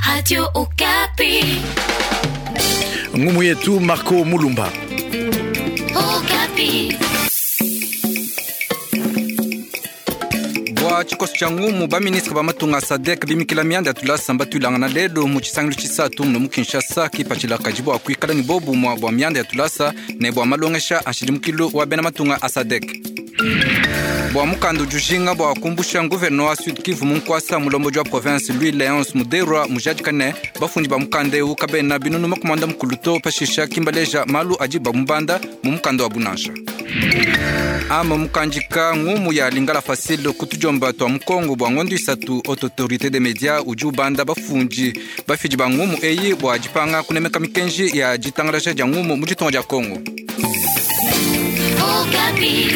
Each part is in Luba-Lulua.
Radio Okapi. Ngumu yetu Marco Mulumba. Okapi. Bua tshikoso tshia ngumu, baministre ba matunga a SADC bimikila mianda ya tulasa mbatuilangana lelu mu tshisangilu tshisatu muno mu Kinshasa. Kipatshila kadi bua kuikala ne bobumua bua mianda ya tulasa ne bua malongesha a nshidimukilu wa bena matunga a SADC. Bua mukanda udi ujinga bua kumbusha nguverneur wa Sud Kivu mu nkuasa, mulombodi wa province Louis Leonce Muderwa mujadika ne bafundi ba mukanda eu kabena binunu makumanda mukulu to, pashisha kimbaleja malu adi bamubanda mu mukanda wa bunansha. Ama mukandika ngumu ya Lingala Facile kutujomba twa mukongo bua ngondo isatu. Haute autorité des médias udi ubanda bafundi bafidi ba ngumu eyi bua dipanga kunemeka mikenji ya ditangalaja dia ngumu mu ditunga dia Kongo. Okapi.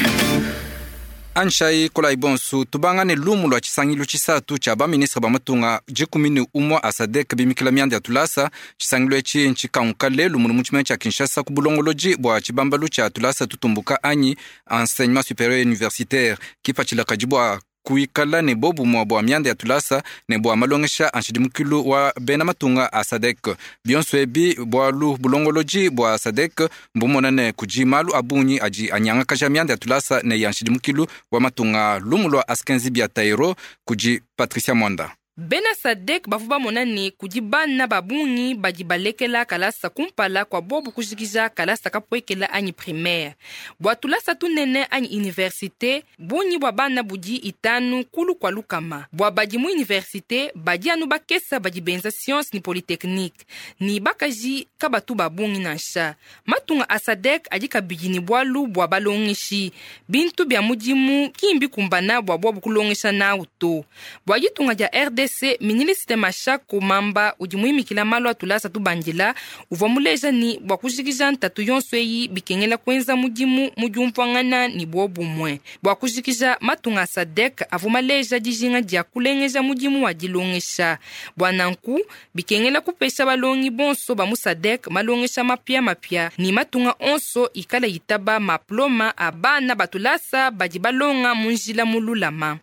Anshai kolai bonsu tubanga ne lumu lua tshisangilu tshisatu tshia baministre ba matunga 11 a SADC bimikila mianda ya tulasa. Tshisangilu etshi ntshikanguka lelu munu mu tshimenga tshia Kinshasa ku bulongolodi bua tshibambalu tshia tulasa tutumbuka anyi enseignement supérieur universitaire. Kipatshila kadi bua kuikala ne bobumua bua mianda ya tulasa ne bua malongesha a nshidimukilu wa bena matunga a SADC. Bionso ebi bualu bulongolodi bua SADC mbumona ne kudi malu a bungi adi anyangakaja mianda ya tulasa ne ya nshidimukilu wa matunga. Lumu lua Askenzi bia Tairo kudi Patricia Mwanda. Bena SADC bavua bamona ne kudi bana ba bungi badi balekela kalasa kumpala kua bobu kujikija kalasa kapuekela anyi primaire. Bua tulasa tunene anyi universite, bungi bua bana budi 50 kulu kua lukama. Bua badi mu universite badi anu bakesa badi benza science ni polytechnique, ni bakaji kabatu ba bungi nansha. Matunga a SADC adi kabidi ne bualu bua balongeshi, bintu bia mudimu ki mbikumbana bua bobu kulongesha nawu to. Bua ditunga dia RDC, ministre Mashako Mamba udi muimikila malu a tulasa tubandila uvua muleja ni bua kujikija ntatu yonso eyi bikengela kuenza mudimu mu diumvuangana ne bobumue. Bua kujikija matunga a SADC avua maleja dijinga dia kulengeja mudimu wa dilongesha. Bua nanku bikengela kupesha balongi bonso ba mu SADC malongesha mapia mapia ni matunga onso ikala itaba maploma a bana batulasa badi balonga mu njila mululama.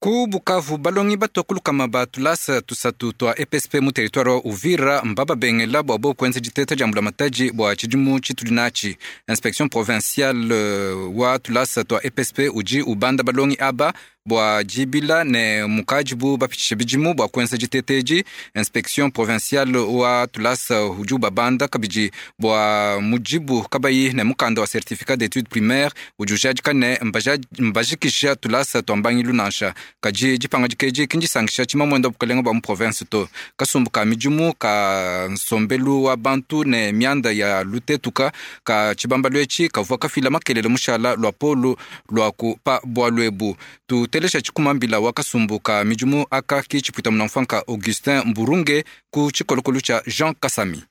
Ku Bukavu balongi batua kulukama ba tulasa tusatu tua EPSP mu territoire wa Uvira mbababengela bua bo kuenza diteta dia mbulamatadi bua tshidimu tshitudi natshi. Inspection provinciale wa tulasa tua EPSP udi ubanda balongi aba bua dibila ne mukadibu bapitshisha bidimu bua kuenza diteta edi. Inspection provinciale wa tulasa udi ubabanda kabidi bua mudibu kabayi ne mukanda wa certificat d'études primaires udi ujadika ne mbajikisha tulasa tua mbangilu nansha. Kadi dipangadika edi ki ndisankisha tshimamwenda wa bukalenga bua mu province to. Kasumbu ka midimu ka nsombelu wa bantu ne mianda ya lutetuka ka tshibambalu etshi kavua kafila makelele mushala lua polu lua ku pa bualu ebu. Tutelesha tshikumambila wa kasumbu ka midimu aka ki tshipuita munamfanka Augustin Mburunge ku tshikolokolo tshia Jean Kasami.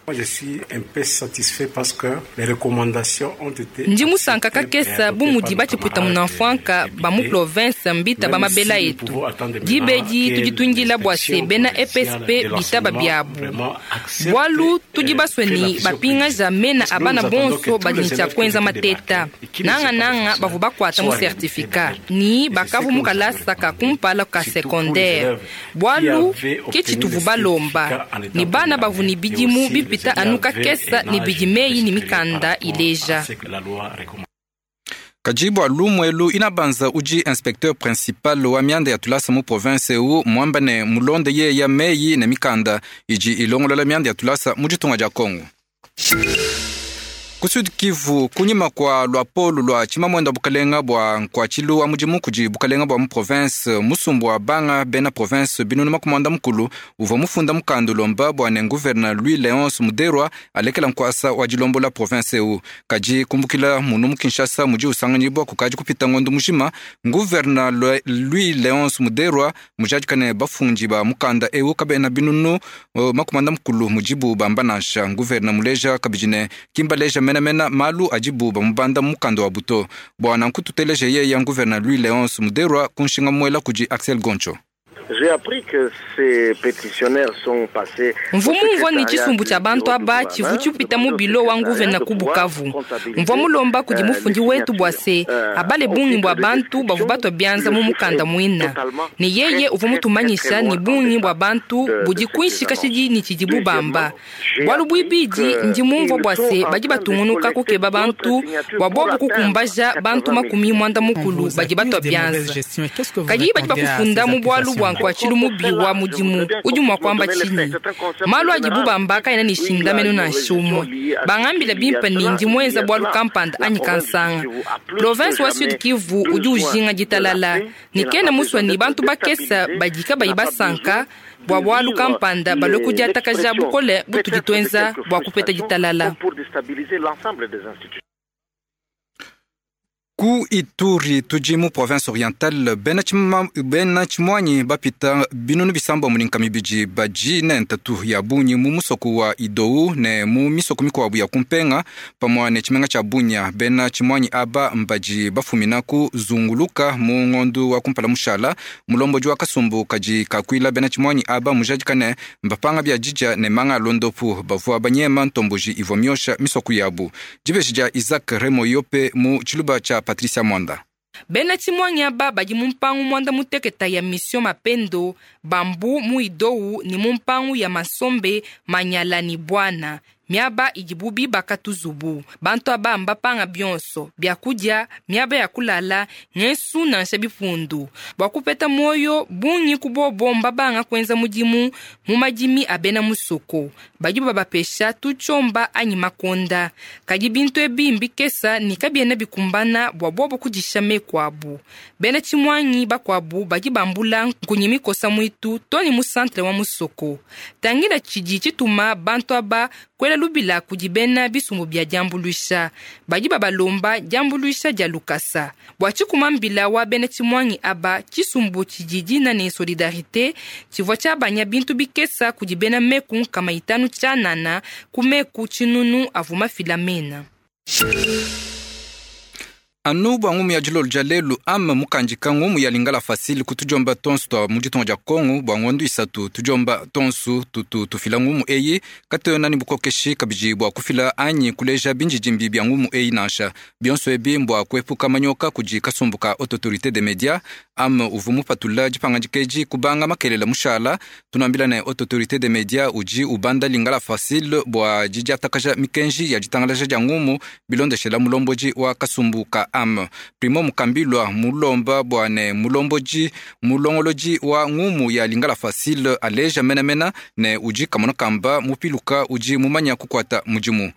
Moi, je suis un peu satisfait parce que les recommandations ont été Ndi musanka acceptées et kakesa bu adoptées mudi par nos batshipuita camarades munamfwanka ba mu députés. province mbita ba Même si mabela nous etu. pouvons attendre maintenant Dibedi que tudi tuindila bua se l'inspection bena provinciale EPSP de bitaba l'enseignement biabu. vraiment accepte, Bualu tudi basue fait la ni vision bapingaja politique. mena Parce que a nous, bana nous attendons que bonso tous badi les ne tshia élèves qui ont kuenza été mateta. débarqués et qui ne Nanga sont pas nanga fonctionnaires bavua bakuata mu soient réhabilités certificat. dans Ni Et c'est ce bakavu que mu nous kalasa ka avons kumpala ka surtout pour les secondaire. élèves qui Bualu avaient ke obtenu tshituvu le balomba. certificat en étant Ni bana première bavu ni année et bidimu aussi les bipita élèves anu avaient kakesa un ni âge bidi meyi ni supérieur mikanda par rapport à ileja. ce que la loi recommande. Kadi bua lumu elu inabanza udi inspecteur principal wa mianda ya tulasa mu province eu muamba ne mulonde yeya meyi ne mikanda idi ilongolola mianda ya tulasa mu ditunga dia Kongo. Ku Sud Kivu kunyima kua luapolu lua tshimamwenda bukalenga bua nkuatshilu wa mudimu kudi bukalenga bua mu province musumbu wa banga bena province binunu makumanda mukulu uvua mufunda mukanda ulomba bua ne gouverneur Louis Leonce Muderwa alekela nkuasa wa dilombola province eu. Kadi kumbukila munu mu Kinshasa mudi usanganyibwa kukadi kupita ngondo mujima gouverneur Louis Leonce Muderwa mujadikane bafundi ba mukanda eu kabena binunu makumanda mukulu mudibu bamba nansha. Gouverneur muleja kabidi ne kimbaleja mena mena malu adibu bamubanda mukanda wa buto. Bwana nkututeleje yeya gouverneur Louis Leonce Muderwa kunshinga mwela kudi Axel Goncho. Mvua mumvua ne tshisumbu tshia bantu aba tshivua tshipita mu bilo wa nguvena ku Bukavu. Mvua mulomba kudi mufundi wetu bua se abale bungi bua bantu bavua batua bianza mu mukanda muina, ne yeye uvua mutumanyisha ne bungi bua bantu budi kuinshi kashidi ne tshidibu bamba. Bualu buibidi, ndi mumvua bua se badi batungunuka kukeba bantu bua bobu kukumbaja bantu 40 badi batua bianza. Kadi badi bakufunda mu bualu bua nkuatshilu mubi wa mudimu udi mua kuamba tshinyi? Malu adibu bamba kaena ne shindamenu nansha umue. Bangambila bimpe ne ndi muenza bualu kampanda anyi kansanga. Province wa Sud Kivu udi ujinga ditalala ne kena musua ne bantu bakesa badi kabayi basanka bua bualu kampanda balue kudiatakaja bukole butudi tuenza bua kupeta ditalala. Ku Ituri tudi mu province orientale bena tshimuanyi bapita binunu bisambombo ne nkama ibidi badi ne ntatu ya bungi mu musoko wa Idou ne mu misoko mikuabu ya kumpenga pamue ne tshimenga tshia Bunia. Bena tshimuanyi aba mbadi bafumina ku zunguluka mu ngondu wa kumpala mushala. Mulombodi wa kasumbu kadi kakuila bena tshimuanyi aba mujadika ne mbapanga bia didia ne manga a londopu bavua banyema ntomboji ivua miosha misoko yabu. Dibeji dia Isaac Remo Yope mu tshiluba tshia Patricia Mwanda. Bena tshimuanyi aba badi mu mpangu mwanda muteketa ya Mission Mapendo, Bambu mu Idou ne mu mpangu ya Masombe, Manyala ne Bwana. Miaba idibu bibaka tuzubu. Bantu aba mbapanga bionso, biakudia, miaba ya kulala, ngesu nansha bipundu. Bua kupeta muoyo, bungi kubobo mbabanga kuenza mudimu mu madimi a bena musoko. Badi babapesha tutshiomba anyi makonda. Kadi bintu ebi mbikesa ne kabiena bikumbana bua bobo kudisha meku abu. Bena tshimuanyi bakuabu badi bambula nkunyi mikosa muitu to ne mu centre wa musoko. Tangila tshidi tshituma bantu aba kuela lubila kudi bena bisumbu bia diambuluisha. Badi babalomba diambuluisha dia lukasa. Bua tshikuma mbila wa bena tshimuanyi aba, tshisumbu tshidi dina ne solidarité tshivua tshiabanya bintu bikesa kudi bena meku 500 tshianana ku meku 9 avua mafila mena. Anu bua ngumu ya dilolo dia lelu ama mukandika ngumu ya Lingala Facile kutujomba tonsu twa mu ditunga dia Kongo bua ngondu isatu tujomba tonsu tutu tufila ngumu eyi katuena ne bukokeshi kabidi bua kufila anyi kuleja binjidimbi bia ngumu eyi nansha. Bionso ebi mbua kuepuka manyoka kudi kasumbu ka Haute Autorité des Médias. Ama uvua mupatula dipangadika edi kubanga makelela mushala. Tunuambila ne Haute Autorité des Médias udi ubanda Lingala Facile bua didiatakaja mikenji ya ditangalaja dia ngumu bilondeshela mulombodi wa kasumbu ka am. Primo Mukambilwa mulomba bua ne mulombodi mulongolodi wa ngumu ya Lingala Facile aleja menamena ne udi kamona kamba mupiluka udi mumanya kukuata mudimu.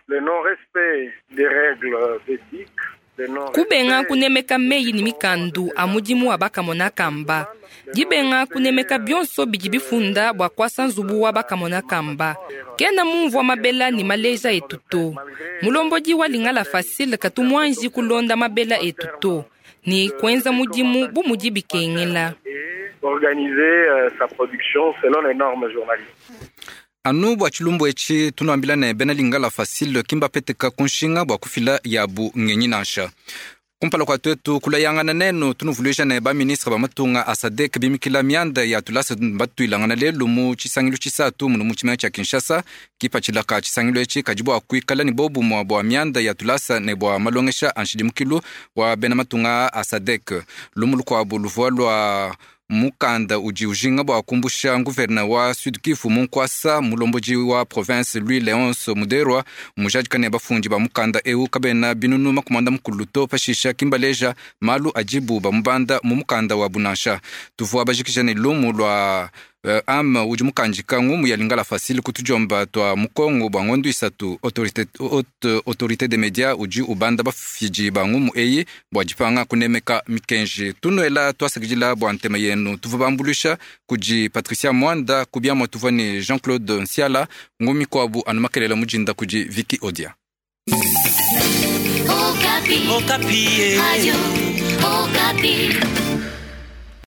Le non-respect des règles d'éthique, Kubenga kunemeka meyi ne mikandu a mudimu wa bakamona kamba. Dibenga kunemeka bionso bidi bifunda bua kuasa nzubu wa bakamona kamba. Kena mumvua mabela ne maleja etu to. Mulombodi wa Lingala Facile katu muanji kulonda mabela etu to. Ni kuenza mudimu bu mudi bikengela. Organiser sa production selon les normes journalistiques. Anu bua tshilumbu etshi tunuambila ne bena Lingala Facile kimbapeteka kunshinga bua kufila yabu ngenyi nansha. Kumpala kua tuetu kulayangana nenu tunuvuluija ne ba ministre ba matunga a SADC bimikila mianda ya tulasa batuilangana lelu mu tshisangilu tshisatu munu mu tshimenga tshia Kinshasa. Kipatshila ka tshisangilu etshi kadi bua kuikala ne bobumue bua mianda ya tulasa ne bua malongesha a nshidimukilu wa bena matunga a SADC. Lumu lukuabu luvua lua mukanda udi ujinga bua kumbusha gouverneur wa Sud Kivu mu nkuasa mulombodi wa province Louis Léonce Muderwa mujadika ne bafundi ba mukanda eu kabena binunu makumanda mukulu to pashisha kimbaleja malu adibu bamubanda mu mukanda wa bunansha. Tuvua bajikija ne lumu lua am udi mukandika ngumu ya Lingala Facile kutujomba twa mukongo bua ngondu isatu. Haute Autorité des Médias udi ubanda bafidi ba ngumu eyi bua dipanga kunemeka mikenji. Tunuela tuasakidila bua ntema yenu. Tuvua bambulisha kudi Patricia Mwanda kubiamwa tuvua ne Jean-Claude Nsiala ngumu mikuabu anu makelela mujinda kudi Vicky Odia. Okapi. Okapi. Radio Okapi.